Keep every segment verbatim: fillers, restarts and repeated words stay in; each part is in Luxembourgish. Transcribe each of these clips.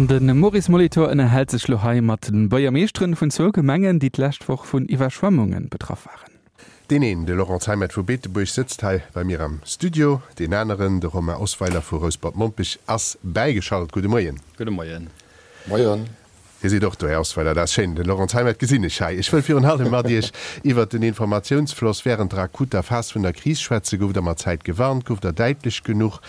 An de Maurice Molitor ënnerhält sech lo hei mat de Buergermeeschteren vun zwou Gemengen, déi d'lescht Woch vun Iwwerschwemmunge betraff waren. Deen een, de Laurent Zeimet vu Beetebuerg, sëtzt hei bei mir am Studio. Deen aneren, de Romain Osweiler vu Rouspert-Mompech, ass bäigeschalt. Gudde Moien. Gudde Moien. Moien. Dir sidd och do, Här Osweiler, dat ass schéin. De Laurent Zeimet gesinn ech hei. Ech wëll virun allem mat Iech iwwert den Informatiounsfloss wärend der akuter Phas vun der Kris schwätzen. Gouft Der mat Zäit gewarnt? Gouft Der däitlech genuch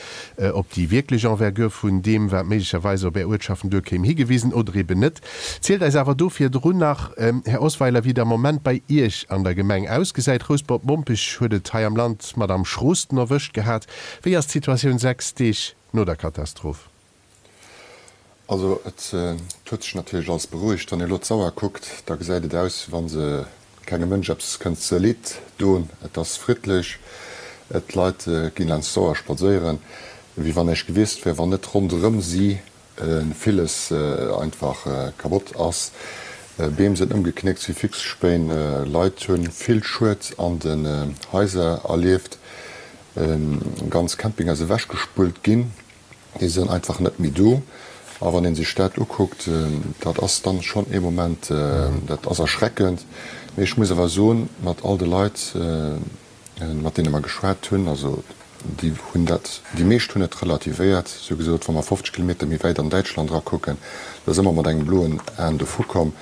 op déi wierklech Envergure vun deem, wat méiglecherweis op Är Uertschaften duerkéim, higewisen oder eben net? Zielt eis awer do virdrun nach, Här Osweiler, wéi et am Moment bei Iech an der Gemeng ausgesäit. Rouspert-Mompech huet et hei am Land mat am schroosten erwëscht gehat. Wéi ass d'Situatioun sechs Deeg no der Katastroph? Also et huet sech natierlech alles berouegt. Wann ee elo d'Sauer kuckt, da gesäit et aus, wéi wa se kengem Mënsch eppes kënnt ze Leed doen. Et ass friddlech, d'Leit ginn laanscht d'Sauer spadséieren, wéi wann näischt gewiescht wär, wann net ronderëm si villes einfach kabott ass. Beem sinn ëmgeknéckt wéi Fixspéin, Leit hu vill Schued an den Haiser erlieft, ganz Campinger si ewechgespullt ginn. Déi sinn einfach net méi do. A wann ee sech dat ukuckt, dat ass dann schonn ee Moment, dat ass erschreckend. Mee ech muss awer soen, mat all de Leit, mat deene mer geschwat hunn, also déi hunn dat, déi meescht hunn et relativéiert. Si hu gesot, wa mer fofzeg Kilometer méi wäit an Däitschland erakucken, da si mer mat engem bloen Aen dovukomm.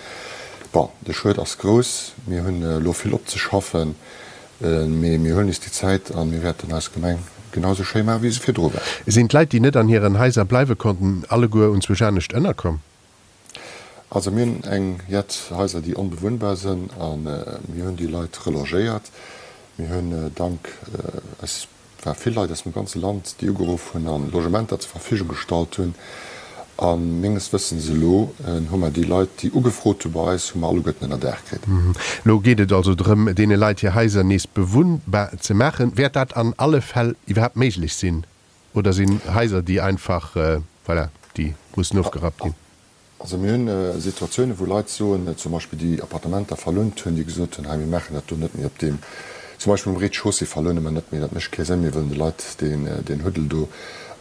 Bon, de Schued ass grouss. Mir hunn elo vill opzeschaffen. Mee mir huelen eis déi Zäit a mir wäerten eis Gemeng genau esou schéi maachen, wéi se virdru war. Sinn d'Leit, déi net an hiren Haiser bleiwe konnten, alleguer unzwousch anescht ënnerkomm? Also mir hunn eng jett Haiser, déi onbewunnbar sinn a mir hunn déi Leit relogéiert. Mir hunn dank eis war vill Leit aus dem ganze Land, déi ugeruff hunn a Logementer zur Verfügung gestallt hunn. A menges Wëssens elo hu mer déi Leit, déi ugefrot hu bei eis, hu mer alleguerten ënnerdaach kritt. Elo geet et also drëm, deene Leit hir Haiser nees bewunnbar ze maachen. Wäert dat an alle Fäll iwwerhaapt méiglech sinn oder sinn Haiser, déi einfach, voilà, déi mussen ofgerappt ginn? Also mir hunn Situatiounen, wou Leit soen, zum Beispill déi Appartementer verlount hunn, déi gesot hunn, hei mir maachen dat do net méi op deem, zum Beispill um Rez-de-chaussée verloune mer net méi, dat mécht kee Sënn, mir wëllen de Leit deen, deen Huddel do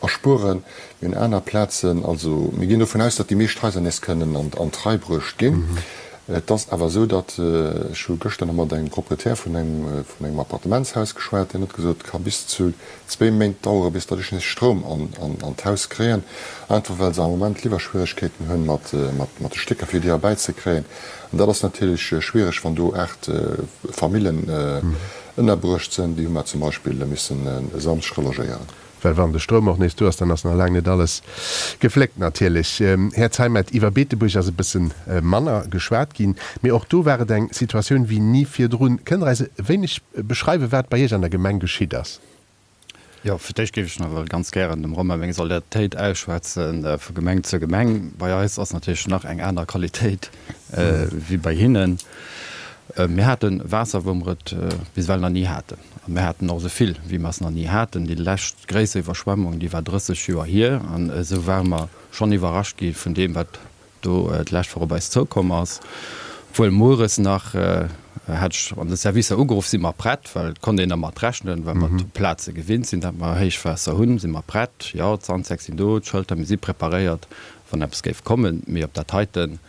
erspueren. Mir hunn aner Plazen, also mir ginn dovun aus, datt déi meescht Haiser nees kënnen an, an d'Rei bruecht ginn. Et ass awer esou, datt, ech hu gëschter nach mat engem Proprietär vun engem, vun engem Appartementshaus geschwat, deen huet gesot, et ka bis zu zwee Méint dauere bis datt ech nees Stroum an, an, an d'Haus kréien, einfach well se am Moment Liwwerschwieregkeeten hunn mat, mat, mat de Stécker fir déi erbäizekréien. An dat ass natierlech schwiereg, wann do aacht Famillen ënnerbruecht sinn. Déi hu mer zum Beispill missen e Samschdeg relogéieren. Well wann de Stroum och nees do ass, dann ass nach laang net alles gefléckt natierlech. Här Zeimet, iwwer Beetebuerg ass e bësse manner geschwat ginn, mee och do war et eng Situatioun wéi ni virdrun. Kënnt Der eis e wéineg beschreiwen, wat bei Iech an der Gemeng geschitt ass? Jo, fir d'éischt géif ech nach ewell ganz gären dem Romain meng Solidaritéit ausschwätze vu Gemeng zu Gemeng. Bei eis ass natierlech nach eng aner Qualitéit wéi bei hinnen. Mir hate Waasser, wou mer et bis ewell nach ni haten. A mir haten och esou vill, wéi mer es nach ni haten. Déi lescht gréisser Iwwerschwemmung, déi war drësseg Joer hier. An esou ware mer schonn iwwerrascht gi vun deem, wat do d'lescht Woch op eis zoukomm ass. Obwuel mueres nach, hat ech an de Servicer ugeruff, si mer prett, well et konnt een dermat rechnen, well mer d'Plaze gewinnt sinn, datt mer Héichwaasser hunn, si mer prett. Jo, d'Sandsäck sinn do, d'Schëlter, mir si preparéiert, wann eppes géif kommen. Mee op dat heiten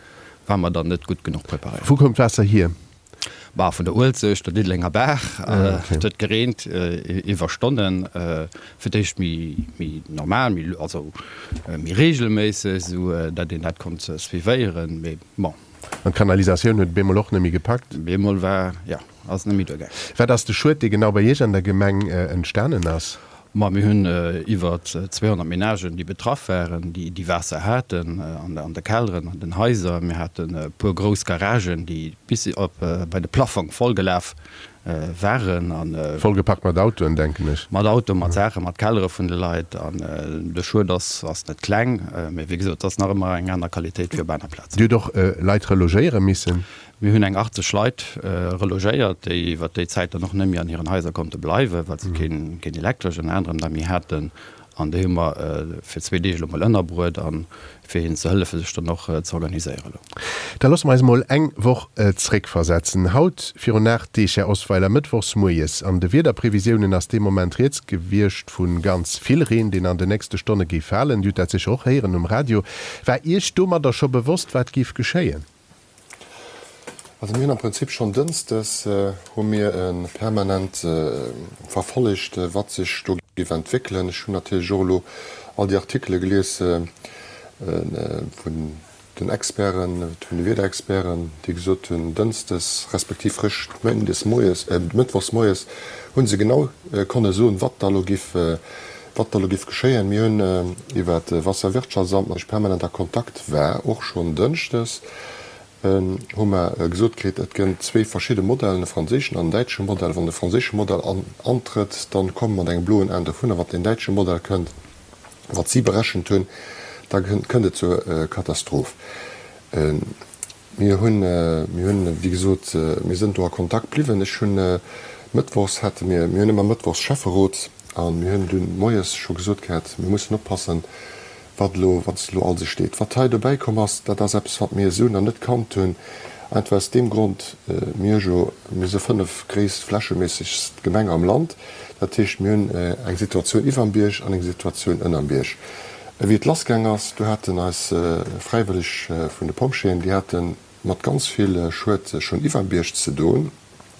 War mer dann net gutt genuch preparéiert. Wou koum d'Waasser hier? Bah, vun der Uelzecht, der Diddelenger Baach. Et huet gereent iwwer Stonnen. Fir d'éischt méi, méi normal, méi, also méi reegelméisseg, esou dat een dat konnt suivéieren. Mee bon. An d'Kanalisatioun huet bemol och net méi gepackt? Bemol war, jo, ass net méi duergaangen. Wat ass de Schued, dee genau bei Iech an der Gemeng entstanen ass? Ma mir hunn iwwer zweehonnert Menagen, déi betraff waren, déi Waasser haten an de Kelleren, an den Haiser. Mir haten e puer grouss Garagen, déi bis op bei de Plaffong vollgelaf waren. Vollgepackt mat Autoen, denken ech. Mat Autoen, mat Saachen, mat Kellere vun de Leit. An de Schued ass net kleng. Mee wéi gesot, et ass nach ëmmer eng aner Qualitéit wéi op aner Plazen. Dir hutt och Leit relogéiere missen? Mir hunn eng achtzeg Leit relogéiert, déi iwwer déi Zäit dann och net méi an hiren Haiser konnte bleiwen, well se keen Elektresch ënner anerem da méi haten. An déi hu mer fir zwee Deeg elo mol ënnerbruet a fir hinnen ze hëllefen, sech dann och ze organiséieren elo. Da loosse mer eis emol eng Woch zréckversetzen. Haut virun aacht Deeg, Här Osweiler, mëttwochs moies, an de Wiederprevisiounen ass dee Moment rieds gewiescht vu ganz vill Reen, deen an den nächste Stonne géif falen. Dir hutt dat sécher och héieren um Radio. War Iech domadder scho bewosst, wat géif geschéien? Also mir hunn am Prinzip schonn dënschdes hu mir permanent verfollegt, wat sech do géif entwéckelen. Ech hunn natierlech och elo all déi Artikele gelies vun den Experten, vun de Wiederexperten, déi gesot hunn, dënschdes respektiv réischt méindes moies, mëttwochs moies hu se genau konne soen, wat da elo géif, wat da elo géif geschéien. Mir hunn iwwer d'Wasserwirtschaftsamt, mat deem ech permanent a Kontakt war, och schonn dënschdes, hu mer gesot kritt, et gënnt zwee verschidde Modellen, e franséischen an en däitsche Modell. Wann de franséische Modell antrëtt, da komme mer mat engem bloen Aen dovun, a wann deen däitsche Modell kënnt, wat si berechent hunn, da kënnt et zur Katastroph. Mir hunn, mir hunn, wéi gesot, mir sënn do a Kontakt bliwwen. Ech hunn mëttwochs hate mir, mir hunn ëmmer mëttwochs Schäfferot, a mir hunn dunn moies scho gesot gehat, mir mussen oppassen, wat elo, wat elo alles steet. Wat hei dobäi komm ass, dat ass eppes, wat mir esou nach net kannt hunn, einfach aus deem Grond, mir hu jo, mir si fënnef gréisst flächeméissegst Gemeng am Land, dat heescht, mir hunn eng Situatioun iwwerm Bierg an eng Situatioun ënnerm Bierg. Wéi et lassgaang ass, do haten eis Fräiwëlleg vun de Pompjeeën, déi hate mat ganz vill Schued schonn iwwerm Bierg ze doen,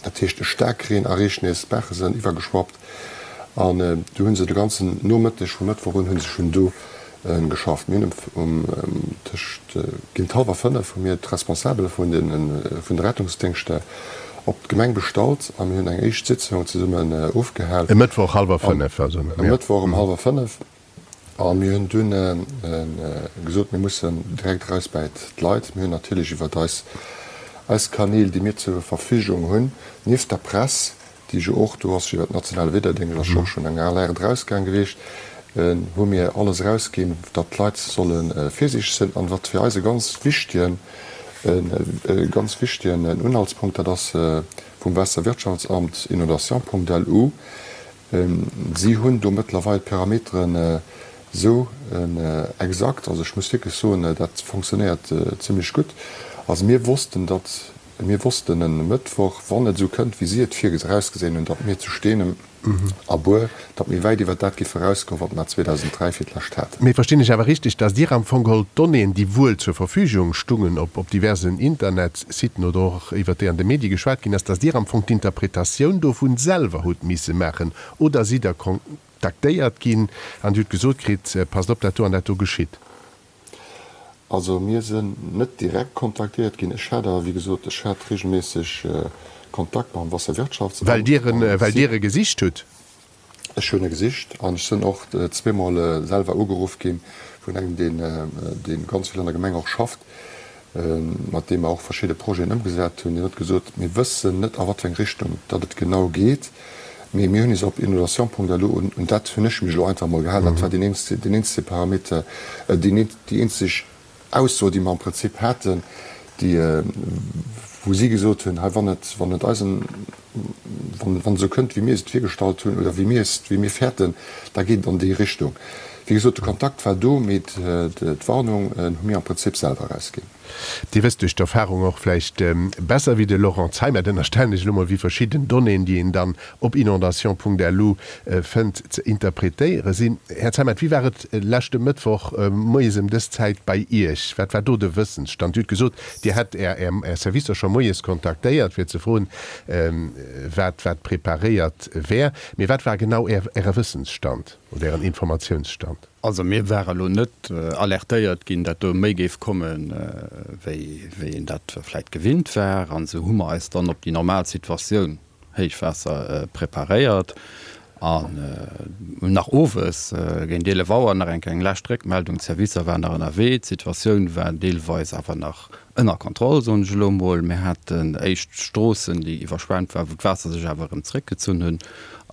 dat heescht e Staarkreen a Reechnees, d'Baache sënn iwwergeschwappt an du hu se de ganzen Nomëtteg vum Mëttwoch un hu se schonn do geschafft. Mir hunn um tëscht géint hallwer fënnef hu mir d'Responsabele vun de vun de Rettungsdéngschter op d'Gemeng bestallt a mir hunn eng éischt Sitzung zesummen ofgehal. E Mëttwoch hallwer fënnef also? E Mëttwoch um hallwer fënnef. A mir hunn dunn gesot, mir mussen direkt eraus bäi d'Leit. Mir hunn natierlech iwwert eis eis Kanäl, déi mir zur Verfügung hunn, nieft der Press, déi jo och do ass, iwwer den nationale Wiederdéngscht ass jo och schonn eng Alerte erausgaang gewiescht, hu mir alles erausginn, datt d'Leit solle virsiichteg sinn. An wat fir eis e ganz wichtegen, e ganz wichtegen Unhaltspunkt, dat ass vum Waasserwirtschaftsamt inondation.lu, si hunn do mëttlerweil d'Parameteren esou exakt, also ech muss wierklech soen, dat fonctionnéiert zimlech gutt. Also mir wossten, datt Mir wossten e Mëttwoch, wann et esou kënnt, wéi si et virausgesinn hunn, datt mir zu Steenem a Buer, datt mir wäit iwwer dat géife erausgoen, wat mer zweedausend dräi fir d'lescht haten. Mee verstinn ech awer richteg, datt Dir am Fong geholl d'Donnéeën, déi wuel zur Verfügung stungen op op diversen Internetsiten oder och iwwer déi an de Medie geschwat ginn ass, datt Dir am Fong d'Interpretatioun dovun selwer hutt misse maachen? Oder sidd Der kontaktéiert ginn an Dir hutt gesot kritt, Passt op, dat do an dat do geschitt? Also mir sinn net direkt kontaktéiert ginn. Ech hat awer, wéi gesot, ech hat regelméisseg Kontakt mam Wasserwirtschaftsamt. Well Dir en, well Dir e gesicht hutt? Ech hunn e gesicht an ech sinn och zweemol selwer ugeruff gi vun engem, deen, dee ganz vill an der Gemeng och schafft, mat deem mer och verschidde Projeten ëmgesat hunn. Deen huet gesot, mir wëssen net a wat fir eng Richtung datt et genau geet, mee mir hunn is op inondation.lu, un un dat hunn ech mech elo einfach emol gehalen, dat war deen eenzege, deen eenzege Parameter, deen, déi eenzeg Ausso, déi mer am Prinzip haten, déi, wou si gesot hunn, hei, wann et, wann et eisen, wann, wann et esou kënnt, wéi mir es et virgestallt hunn oder wéi mir es, wéi mir fäerten, da geet et an déi Richtung. Wéi gesot, de Kontakt war do, mee d'Warnung hu mir am Prinzip selwer erausginn. Dir wësst duerch d'Erfahrung och vläicht besser wéi de Laurent Zeimet, ënnerstellen ech elo mol, wéi verschidden Donnéeën, déi een dann op inondation.lu fënnt, ze interpretéiere sinn. Här Zeimet, wéi war et leschte Mëttwoch moies ëm dës Zäit bei Iech? Wat war do de Wëssensstand? Dir hutt gesot, Dir hätt Är Är Servicer scho moies kontaktéiert, fir ze froen, wat wat preparéiert wär. Mee wat war genau Är Äre Wëssensstand oder Ären Informatiounsstand? Also mir ware lo net alertéiert ginn, dat do méi géif kommen, wéi wéi een dat vläit gewinnt war. An esou hu mer eis dann op déi normal Situatioun, Héichwaasser, preparéiert an hunn nach owes géint eelef Auer nach eng Kéier eng lescht Réckmeldung, d'Servicer waren nach ënnerwee, d'Situatioun war deelweis awer nach ënner Kontroll, soen ech elo emol. Mir haten éischt Stroossen, déi iwwerschwemmt waren, wou d'Waasser sech awer erëm zréckgezunn hunn.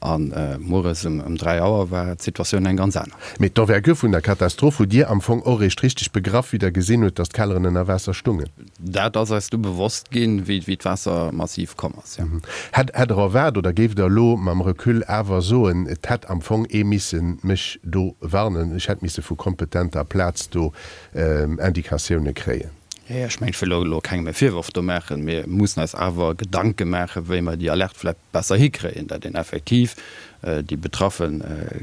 An mueres ëm dräi Auer war d'Situatioun eng ganz aner. Mee d'Envergure vun der Katastroph hutt Dir am Fong och eréischt richteg begraff, wéi Der gesinn hutt, datt d'Kelleren ënner Waasser stungen? Dat ass eis du bewosst ginn, wéi d'Waasser massiv komm ass, jo. Hätt Der erwaart oder géift Der elo mam Recul awer soen, et hätt am Fong ee misse mech do warnen, ech hätt misse vu kompetenter Plaz do Indikatioune kréien? Ech mengen, ech wëll elo kengem e Virworf do maachen. Mir mussen eis awer Gedanke maachen, wéi mer déi Alerte vläicht besser hikréien, datt een effektiv déi betraffe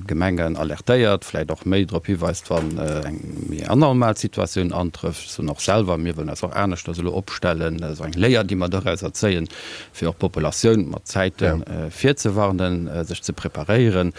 Gemengen alertéiert, vläicht och méi drop hiweist, wann eng méi anormal Situatioun antrëfft. Ech soen och selwer, mir wëllen eis och aneschters elo opstellen, esou eng Léier, déi mer dorauser zéien, fir och d'Populatioun mat Zäite virzewarnen, sech ze preparéieren.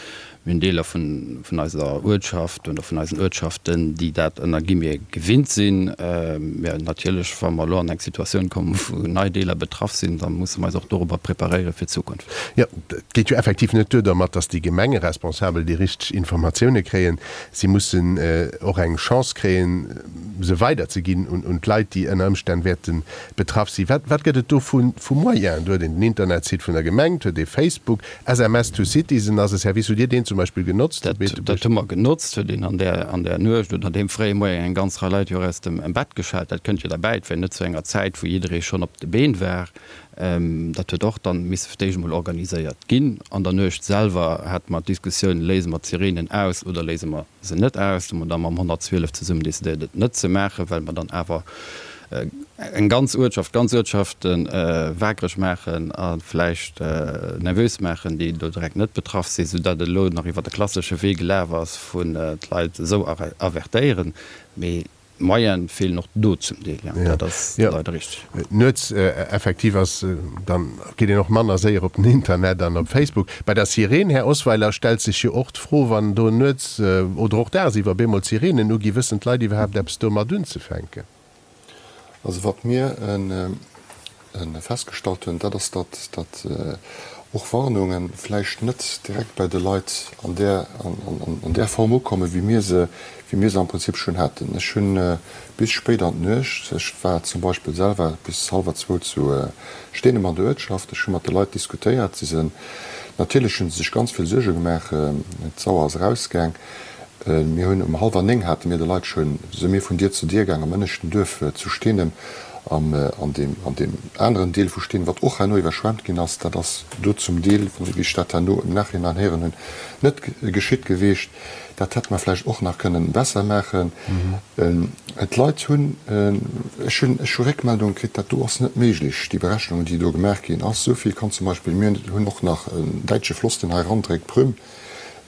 Mir hunn Deeler vun eiser Uertschaft oder vun eisen Uertschaften, déi dat ënner Guillemets gewinnt sinn. Mä natierlech, wa mer elo an eng Situatioun kommen, wou nei Deeler betraff sinn, da musse mer eis och dorobber preparéiere fir d'Zukunft. Jo, et geet jo effektiv net duer domat, datt déi Gemengeresponsabel déi richteg Informatioune kréien. Si mussen och eng Chance kréien, se weiderzeginn un d'Leit, déi ënner Ëmstänn wäerte betraff sinn. Wat gëtt et do vu Moyenen? Do huet een den Internetsite vun der Gemeng, et huet ee Facebook, S M S to Citizen ass e Service. Hutt Dir deen zum Beispill genotzt? Dat, dat hu mer genotzt, huet een an där, an där Nuecht oder deem fréie Moien eng ganz Rei Leit jo och aus dem Bett geschellt. Dat kënnt jo derbäi, et war jo net zu enger Zäit, wou jidderee schonn op de Been war. Dat huet och dann misse fir d'éischt emol organiséiert ginn. An der Nuecht selwer hate mer d'Diskussioun, Léise mer d'Sirenen aus oder léise mer se net aus? Do hu mer da mam honnertzwielef zesummen decidéiert, et net ze maachen, well mer dann awer eng ganz Uertschaft, ganz Uertschafte waakreg maachen a vläicht nervös maachen, déi do direkt net betraff sinn, soudatt et elo nach iwwer de klassesche Wee gelaf ass vun d'Leit esou avertéieren. Mee d'Moyene feelen och do zum Deel, jo, dat ass leider richteg. Nuets effektiv ass, dann geet een och manner séier op den Internet an op Facebook. Bei der Sireen, Här Osweiler, stellt sech jo och d'Fro, wann do nuets oder och dagsiwwer bemol d'Sireenen uginn, wëssen d'Leit iwwerhaapt eppes domat unzefänken? Also wat mir festgestallt hunn, dat ass, datt datt och Warnunge vläicht net direkt bei de Leit an där an där Form ukommen, wéi mir se wéi mir se am Prinzip schonn haten. Ech hunn bis spéit an d'Nuecht, ech war zum Beispill selwer bis hallwer zwou zu Steenem an der Uertschaft, ech hu mat de Leit diskutéiert, si sinn, natierlech hu se sech ganz vill Suerge gemaach, d'Sauer ass erausgaang. Mir hunn um hallwer néng hate mir de Leit schonn, si mir vun Dier zu Dier gaang am ënneschten Duerf zu Steenem an an deem an deem aneren Deel vu Steenem, wat och herno iwwerschwemmt ginn ass. Dat ass do zum Deel, wéi ech dat herno im Nachhinein héieren hunn, net geschitt gewiescht. Dat hätte mer vläicht och nach kënnen besser maachen. D'Leit hunn, ech hunn ech hu Réckmeldunge kritt, dat do ass net méiglech, déi Berechnungen, déi do gemaach ginn ass. Esou vill kann zum Beispill, mir hunn och nach en däitsche Floss, deen hei erandréckt, d'Prüm,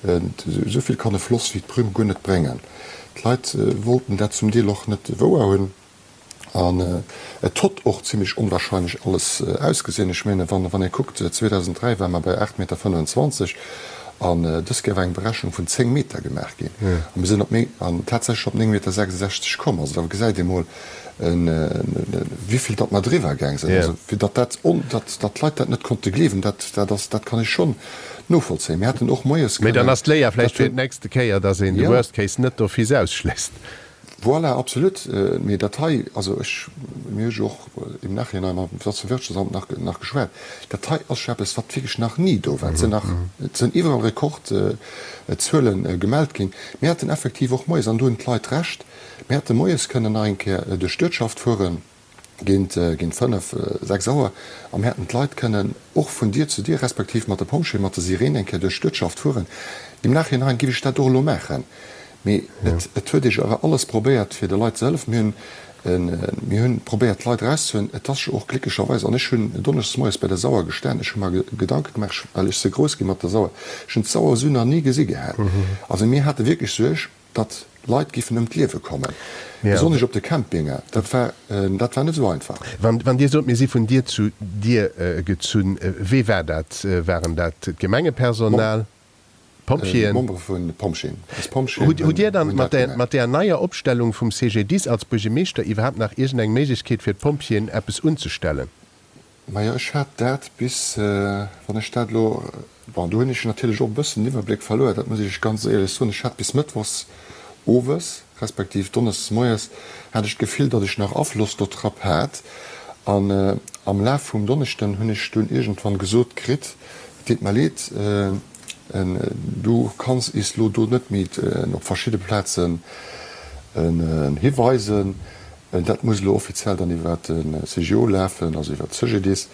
Esou vill kann e Floss wéi d'Prüm guer net bréngen. D'Leit wollten dat zum Deel och net wouer hunn. An et hott och zimlech onwahrscheinlech alles ausgesinn. Ech menen, wann ee kuckt, zweedausenddräi ware mer bei aacht Meter fënnefenzwanzeg an dës Kéier war eng Berechnung vun zéng Meter gemaach ginn a mir sinn op an tatsächlech op néng Meter sechsundsechzeg komm. Also da gesäit ee mol, wéivill datt mer driwwer gaang sinn. Also fir datt dat, datt d'Leit dat net konnte gleewen, dat, dat ass, dat kann ech schonn novollzéien. Mir hätten och moies Mee dann kënnen ass d'Léier vläicht fir d'nächste Kéier, datt een de Worst Case net d'office ausschléisst. Voilà, absolut. Mee dat hei, also ech, mir hu jo och im Nachhinein mam Wirtschaftsamt nach, nach geschwat, dat hei ass jo eppes, wat wierklech nach ni do war. Et sinn nach, et sinn iwwerall Rekordzuele gemellt ginn. Mir hätten effektiv och moies, an do hunn d'Leit Recht, mir hätte moies kënnen nach eng Kéier duerch d'Uertschaft fueren, géint, géint fënnef, sechs Auer, a mir hätten d'Leit kënnen och vun Dier zu Dier, respektiv mat de Pompjeeën, mat de Sirenen eng Kéier duerch d'Uertschaft fueren. Im Nachhinein géif ech dat och elo maachen. Mee et, et huet ee jo awer alles probéiert, fir de Leit ze hëllefen. Mir hunn, mir hunn probéiert, d'Leit erauszehuelen. Et ass jo och glécklecherweis, an ech hunn donneschdes moies bei der Sauer gestan, ech hu mer Gedanke gemaach, well ech si grouss gi mat der Sauer, ech hunn d'Sauer esou nach ni gesi gehat. Also mir hate wierklech Suerg, datt Leit giffen ëm d'Liewe kommen, besonnesch op de Campinge. Dat war, dat war net esou einfach. Wann, wann Dir sot, mir si vun Dier zu Dier gezunn, wee war dat? Waren dat d'Gemengepersonal, d'Pompjeeën? D'Membere vun de Pompjeeën. Eis Pompjeeën Hutt, hutt Dir hunn, dann hunn mat dat där, gemaach. mat där neier Opstellung vum C G D I S als Buergermeeschter iwwerhaapt nach iergendeng Méiglechkeet fir d'Pompjeeën eppes unzestellen? Majo, ech hat dat bis, wann ech dat elo, bon, do hunn ech natierlech och e bëssen den Iwwerbléck verluer, dat muss ech Iech ganz éierlech soen, ech hat bis mëttwochs owes, respektiv donneschdes moies, hat ech d'Gefill, datt ech nach Afloss dotrap hat. An am Laf vum Donneschden hunn ech dunn iergendwann gesot kritt, Et deet mer leed, Du kanns is lo do net méi op verschidde Plazen hiweisen. Dat muss elo offiziell dann iwwer de C G O lafen, also iwwer d'Cegedis.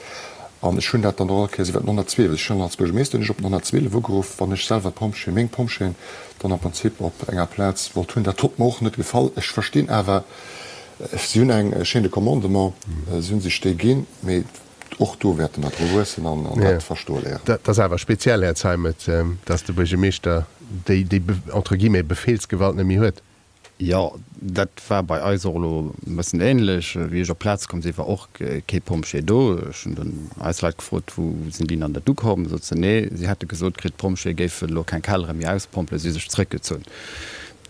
An ech hunn dat dann och all Kéiers iwwer den honnertzwielef, ech hunn als Buergermeeschter hunn ech op den honnertzwielef ugeruff, wann ech selwer d'Pompjeeën, meng Pompjeeën dann am Prinzip op enger Plaz wollt hunn. Dat huet mer och net gefall. Ech verstinn awer, si hunn eng Chaîne de commandement, si hu sech déi ginn, mee och do wäerte mer dru wuessen an dat verstoe léieren. Dat ass awer speziell, Här Zeimet, dass de Buergermeeschter déi, déi entre guillemets Befehlsgewalt net méi huet. Jo, dat war bei eis och elo e bëssen ähnlech. Wéi ech op d'Plaz komm sinn, war och kee Pompjee do. Ech hunn dunn eis Leit gefrot, Wou sinn déi dann dat ukomm? Sot se, Nee, si hätte gesot kritt, d'Pompjeeë géifen elo keng Kellere méi auspompelen, si hu sech zréckgezunn.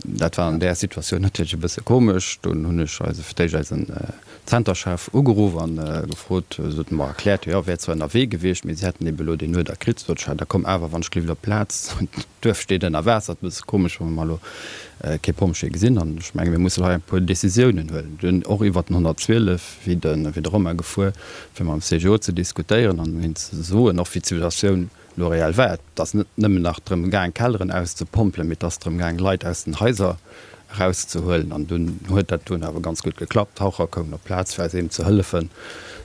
Dat war an där Situatioun natierlech e bësse komesch. Dunn hunn ech eise, fir d'éischt eisen Zenterchef ugeruff an gefrot, se huet mer erkläert, jo, wär zwar ënnerwee gewiescht, mee si hätten ebe elo deen Uerder kritt. Sot ech, da komm awer wann ech gelift op d'Plaz, d'Duerf steet ënner Waasser, et ass e bësse komesch, wa mer elo kee Pompjee gesinn. An ech menge mir mussen hei e puer Decisiounen huelen. Dunn och iwwert den honnertzwielef wéi de wéi de Romain gefuer, fir mam C G O ze diskutéieren an hinnen ze soen och wéi d'Situatioun elo reell war. Et ass net nëmmen nach drëm gaang Kelleren auszepompelen, mee et ass drëm gaang Leit aus den Haiser erauszehuelen. An dunn huet dat dunn awer ganz gutt geklappt. D'Taucher koumen op d'Plaz, fir eis eben ze hëllefen,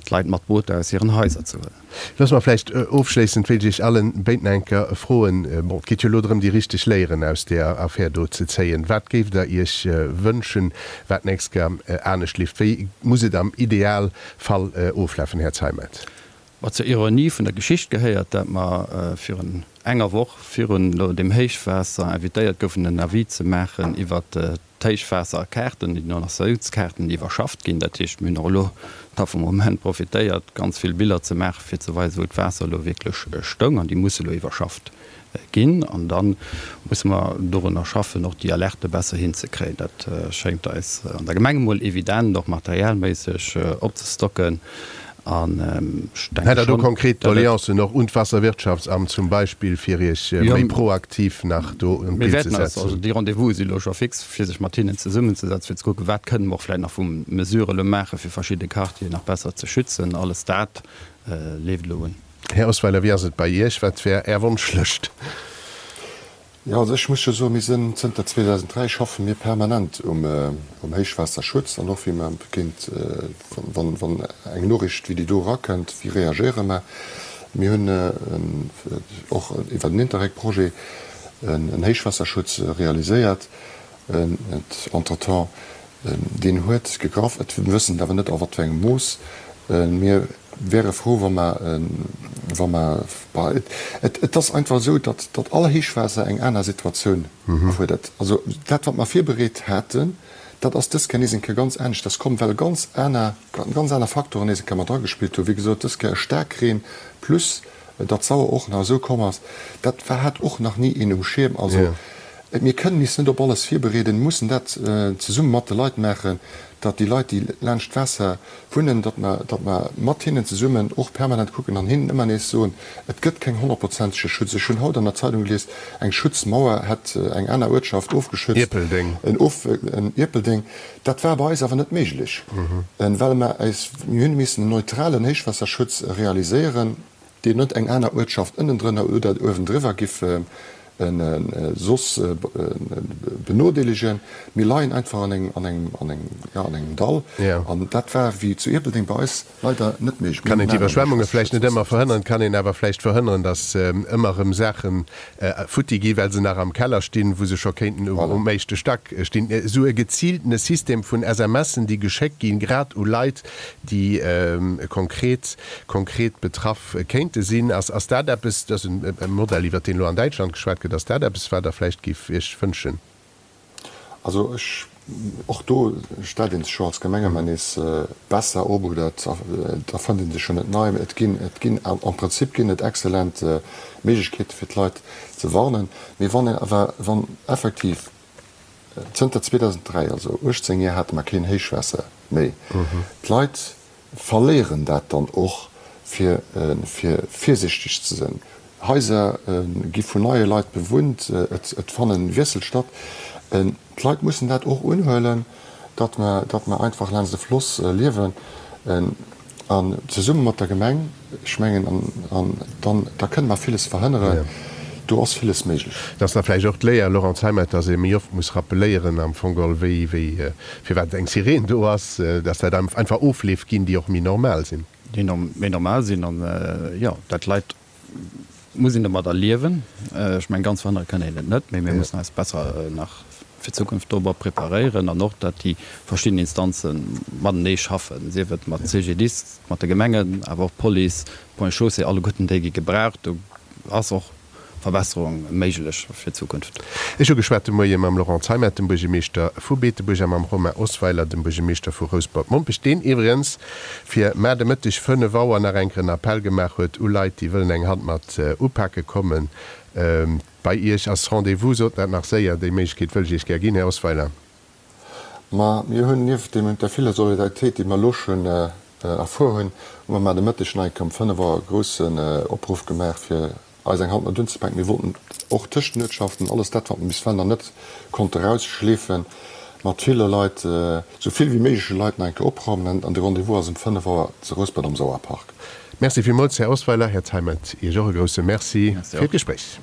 d'Leit mat Booter aus hiren Haiser ze huelen. Loosse mer vläicht ofschléissend, wéilt ech Iech allen béiden eng Kéier froen, bon, et geet jo elo drëm, déi richteg Léieren aus deeër Affär do ze zéien. Wat géift Der Iech wënschen, wat d'nächst Kéier anescht leeft? Wéi muss et am Idealfall oflafen, Här Zeimet? Ma zur Ironie vun der Geschicht gehéiert, dat mer virun enger Woch virun elo deem Héichwaasser invitéiert goufen, en Avis ze maachen iwwert d'Héichwaasserkaarten, déi Inondatiounskaarten, déi iwwerschafft ginn. Dat heescht, mir hunn och elo da vum Moment profitéiert, ganz vill Biller ze maachen, fir ze weisen, wou d'Waasser elo wierklech stoung. An déi musse elo iwwerschafft ginn. An da musse mer dorunner schaffen, och déi Alerte besser hinzekréien. Dat schéngt eis an der Gemeng emol evident, och materialméisseg opzestocken. An ech denke Hätt Der do schonn, konkret datt et. Doleancen och un d'Wasserwirtschaftsamt zum Beispill, fir Iech Jo, méi proaktiv nach do un mir d'Bild ze wäerten eis, also setzen? déi Rendez-vouse si elo scho fix, fir sech mat hinnen zesummenzesetzen, fir ze kucken, wat kënnen mer och vläicht nach vu Mesurë elo maachen, fir verschidde Quartieren nach besser ze schützen. Alles dat leeft elo un. Här Osweiler, wéi ass et bei Iech? Wat wär Är Wonschlëscht? Jo, also ech muss jo soen, mir sinn zënter zweedausenddräi schaffe mir permanent um Héichwaasserschutz an och wéi mer géint, wann wann eng Noriicht wéi déi do erakënnt, wéi reagéiere mer. Mir hunn och iwwer den Interreg-Projet en Héichwaasserschutz realiséiert. Entretemps, deen huet gegraff. Et wëssen et awer net a wat fir engem Mooss. Mir wäre frou, wa mer, wa mer, bah, et, et ass einfach esou, datt, datt all Héichwaasser eng aner Situatioun erfuerdert. Also dat, wat mer virbereet haten, dat ass dës Kéier nees eng Kéier ganz aneschters komm, well ganz aner, ganz aner Faktoren nees eng Kéier mat dragespillt hunn. Wéi gesot, dës Kéier e Staarkreen plus datt d'Sauer och nach esou komm ass, dat war, hat och nach ni een um Schierm. Also mir kënnen is net op alles virbereeden, mussen dat zesumme mat de Leit maachen, datt déi Leit, déi laanscht d'Waasser wunnen, datt mer, datt mer mat hinnen zesummen och permanent kucken an hinnen ëmmer nees soen, et gëtt keng honnertprozentege Schutz. Ech hunn haut an der Zeitung gelies, eng Schutzmauer hätt eng aner Uertschaft ofgeschützt, Ierpeldeng. en of, en Ierpeldeng. Dat war bei eis awer net méiglech, well mer eis, mir hunn missen en neutralen Héichwaasserschutz realiséieren, deen net eng aner Uertschaft ënnendrënner oder uewendriwwer giff soss benodeelegen. Mir leien einfach an engem, an engem, an engem, jo, an engem Dall. An dat war wéi zu Ierpeldeng bei eis leider net méiglech. Mir Kann hunn een en aneren d'Iwwerschwemmunge vläicht net Héichwaasserschutz ëmmer verhënneren, kann een awer vläicht verhënneren, datt ëmmer erëm Saache futti gi well se nach am Keller stinn, wou se scho kéinten Voilà. um éischte Stack stinn. Esou e geziiltene System vun S M Sen, déi geschéckt ginn, grad u Leit, déi konkret konkret betraff kéinte sinn, ass ass dat eppes, dat ass e Modell, iwwert deen elo an Däitschland geschwat gëtt, ass dat eppes, wat Der vläicht géift Iech wënschen? Also ech, och do stellt ee sech jo als Gemeng ëmmer nees besser op oder et erfënnt ee sech jo net nei. Et ginn, et ginn, am Prinzip ginn et exzellent Méiglechkeete fir d'Leit ze warnen. Mee wann een awer, wann effektiv zënter zweedausenddräi, also uechtzéng Joer, hate mer keen Héichwaasser méi, d'Leit verléieren dat dann och fir, fir virsichteg ze sinn. Haiser gi vun neie Leit bewunnt, et fanne Wiessel statt. D'Leit mussen dat och unhuelen, datt mer, datt mer einfach laanscht de Floss liewen an zesumme mat der Gemeng, ech mengen, an dann, da kënne mer villes verhënneren. Do ass villes méiglech. Et ass da vläicht och d'Léier, Laurent Zeimet, dass ee méi oft muss rappeléieren am Fong geholl, wéi, wéi, firwat eng Sireen do ass, dass dat einfach Ofleef ginn, déi och méi normal sinn. Déi méi normal sinn an, jo, dat d'Leit muss een domadder liewen. Ech mengen, ganz verhënnere kënne een et net, mee mir mussen eis besser nach fir d'Zukunft dorobber preparéieren an och, datt déi verschidden Instanze matenee schaffen, sief et mat CGDIS, mat de Gemengen, awer och d'Police, d'Ponts et Chaussées, alleguerten déi gi gebraucht. Do ass och Verbesserung méiglech fir d'Zukunft. Ech hu geschwat de Moie mam Laurent Zeimet, dem Buergermeeschter vu Beetebuerg, a mam Romain Osweiler, dem Buergermeeschter vu Rouspert-Mompech, deen iwwregens fir mar de Mëtteg fënnef Auer nach eng Kéier en Appell gemaach huet u Leit, déi wëllen eng Hand mat upake kommen. Bei Iech ass Rendez-vous, sot dat nach séier, déi Méiglechkeet wëll ech Iech gär ginn, Här Osweiler. Ma mir hunn nieft deem der viller Solidaritéit, déi mer elo schonn erfuer hunn, hu mer mar de Mëtteg nach eng Kéier um fënnef Auer e groussen Opruff gemaach, fir eis eng Hand mat unzepaken. Mir wollten och tëscht den Uertschaften alles dat, wat mer bis ewell nach net konnte erausschleefen, mat ville Leit, esou vill wéi méigleche Leit nach eng Kéier opraumen. An de Rendez-vous ass um fënnef Auer zu Rouspert am Sauerpark. Merci villmools, Här Osweiler. Här Zeimet, Iech och e grousse Merci fir d'Gespréich.